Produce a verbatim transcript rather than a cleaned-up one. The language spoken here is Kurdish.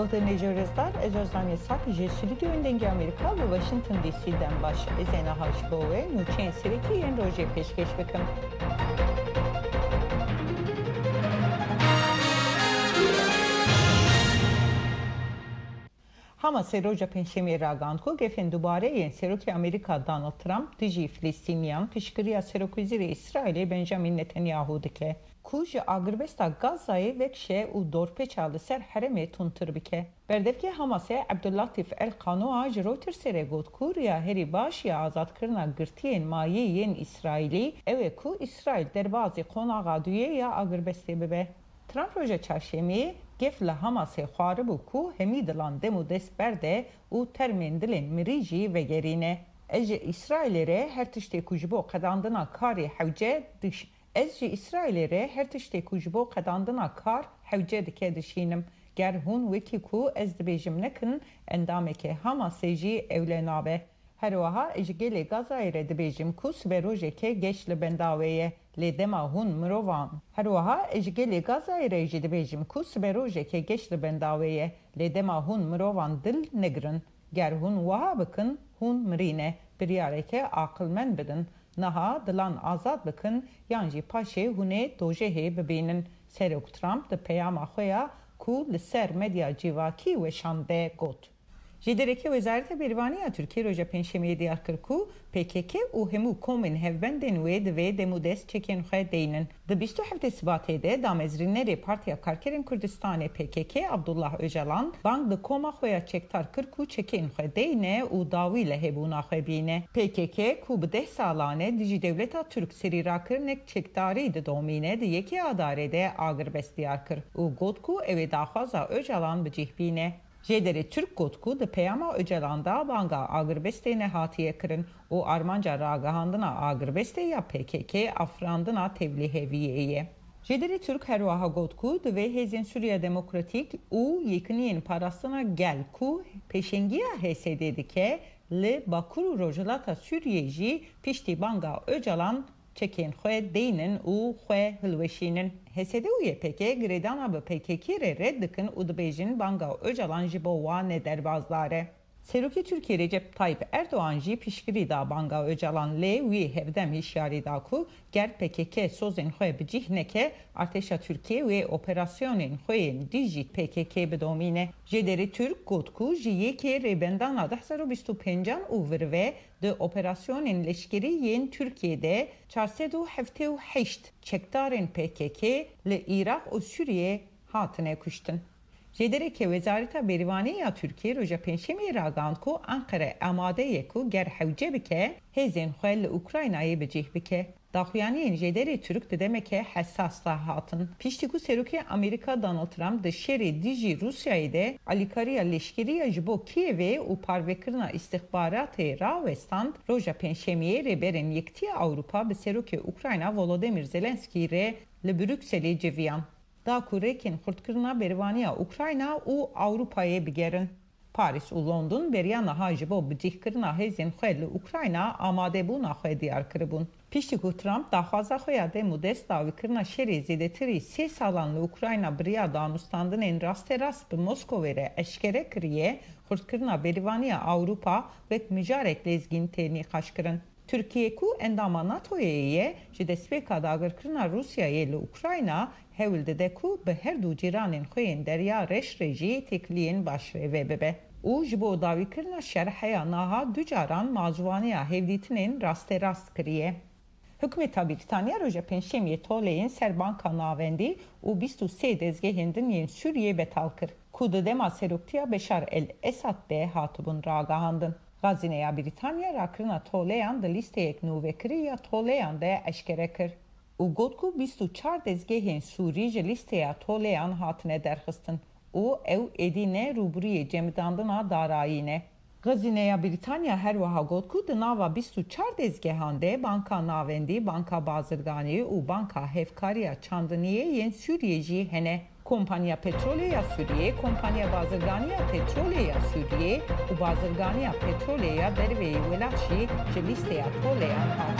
Hûrgulên rêzdar, ez Ozanê Sap ji Stûdyoyên Dengê Amerîka li Washington D C dem baş. Ez ê niha ji bo we nûçeyên serekî yên rojê pêşkêş bikim. Hamasê roja Pêncşemiyê ragihand ku gefên dubare yên Serokê Amerîka Donald Trump dijî Filistîniyan piştgiriya Serokwezîrê Îsraîlê Benjamin Netanyahu dike, ku ji agirbesta Gazayê vekişe û dorpêça li ser herêmê tundtir bike. Berdevkê Hamasê Abdullatîf El Qanoa ji Reutersê re got ku riya herî baş ya azadkirina girtiyên mayî yên Îsraîlî ew e ku Îsraîl derbazî qonaxa duyê ya agirbestê bibe. Trump roja çarşemiyê gef li Hamasê xwaribû ku hemî dilan dem û dest berde û termên dilên mirî jî vegerîne. Ez ji Îsraîlê re her tiştê ku ji bo qedandina karê hewce diş-, Ez ji Îsraîlê re her tiştê ku ji bo qedandina kar hewce dike dişînim. Ger hûn wekî ku ez dibêjim nekin, endamekê Hamasê jî ewle nabe. Her wiha ez ji gelê Gazayê re dibêjim ku siberojeke geş li benda wê ye. Lê dema hûn mirovan. Her wiha ez ji gelê Gazayê re jî dibêjim ku siberojeke geş li benda wê ye. Lê dema hûn mirovan dil negirin. Ger hûn wiha bikin, hûn mirî ne. Biryareke aqilmend bidin. Niha dilan azad bikin yan jî paşê hûn ê dojehê bibînin. Serok Trump di peyama xwe ya ku li ser medya civakî weşand de got. Jêderekê Wezareta Berîvanî ya Tirkiyê roja Pêncşemiyê diyar kir ku P K K û hemû komên hevbendên wê divê dem û dest çekên xwe deynin. Di bîst û heftê Sibatê de damezrînerê Partiya Karkerên Kurdistanê P K K Abdullah Ocalan bang di koma xwe ya çekdar kir ku çekên xwe deyne û dawî li hebûna xwe bîne. P K K ku bi deh salan e dijî dewleta Tirk serî rakirinek çekdarî didomîne, di yekê Adarê de agirbest diyar kir û got ku ew ê daxwaza Ocalan bi cih bîne. Jêderê Tirk got ku di peyama Ocalan de banga agirbestê nehatiye kirin û armanca ragihandina agirbestê ya P K K afirandina tevliheviyê ye. Jêderê Tirk her wiha got ku divê Hêzên Sûriya Demokratîk û Yekîniyên Parastina Gel ku pêşengiya H S D dike, li Bakur û Rojhilata Sûriyê jî piştî banga Ocalan çekên xwe deynin û xwe hilweşînin. H S D û Y P G girêdana bi P K K re red dikin û dibêjin banga Ocalan ji bo wan ne derbasdar e. Serokê Tirkiyê Recep Tayyip Erdogan jî piştgirî da banga Ocalan, lê wî hevdem hişyarî da ku ger P K K sozên xwe bi cih neke, artêşa Tirkiyê wê operasyonên xwe yên dijî P K K bidomîne. Jêderê Tirk got ku ji yekê Rêbendana du hezar û bîst û pêncan û vir ve di operasyonên leşkerî yên Tirkiyê de çar sed û heftê û heşt çekdarên P K K li Iraq û Sûriyê hatine kuştin. Jêderekê Wezareta Berîvanê ya Tirkiyê roja Pêncşemiyê ragihand ku Enqere amade ye ku ger hewce bike, hêzên xwe li Ukraynayê bi cih bike. Daxuyaniyên jêderê Tirk di demeke hesas de hatin. Piştî ku Serokê Amerîka Donald Trump di şerê dijî Rûsyayê de alîkariya leşkerî ya ji bo Kîevê û parvekirina îstixbaratê rawestand, roja Pêncşemiyê Rêberên Yekitiya Ewropa bi Serokê Ukrayna Volodymyr Zelenskî re li Brukselê civiyan. Da ku rêkên xurtkirina berevaniya Ukrayna û Ewropayê bigerin. Parîs û London beriya niha ji bo bicihkirina hêzên xwe li Ukrayna amadebûna xwe diyar kiribûn. Piştî ku Trump daxwaza xwe ya dem û dest dawîkirina şerê zêdetirî sê salan li Ukrayna bi riya danûstandinên rasterast bi Moskowê re eşkere kiriye, xurtkirina berevaniya Ewropa wek mijarek lezgîn tê nîqaşkirin. Tirkiye ku endama NATOyê ye, ji destpêka dagirkirina Rûsyayê li Ukrayna hewl dide ku bi her du cîranên xwe yên Derya Reş re jî têkiliyên baş rê ve bibe û ji bo dawîkirina şer heya niha du caran mazûvaniya hevdîtinên rasterast kiriye. Hikûmeta Brîtanya roja Pêncşemiyê toleyên ser Banka Navendî û bîst û sê dezgehên din yên Sûriyê betal kir, ku di dema seroktiya Beşar el-Esad de hatibûn ragihandin. Xezîneya Brîtanya rakirina toleyan di lîsteyek nûvekirî ya toleyan de eşkere kir û got ku bîst û çar dezgehên Sûrî ji lîsteya toleyan hatine derxistin û ew êdî ne rûbirûyê cemidandina darayî ne. Xezîneya Brîtanya her wiha got ku di nava bîst û çar dezgehan de Banka Navendî, Banka Bazirganî û Banka Hevkariya Çandiniyê yên Sûriyê jî hene. Kompanya Petrolê ya Sûriyê, Kompanya Bazirganiya Petrolê ya Sûriyê û Bazirganiya Petrolê ya derveyî welat jî ji lîsteya toleyan hatin.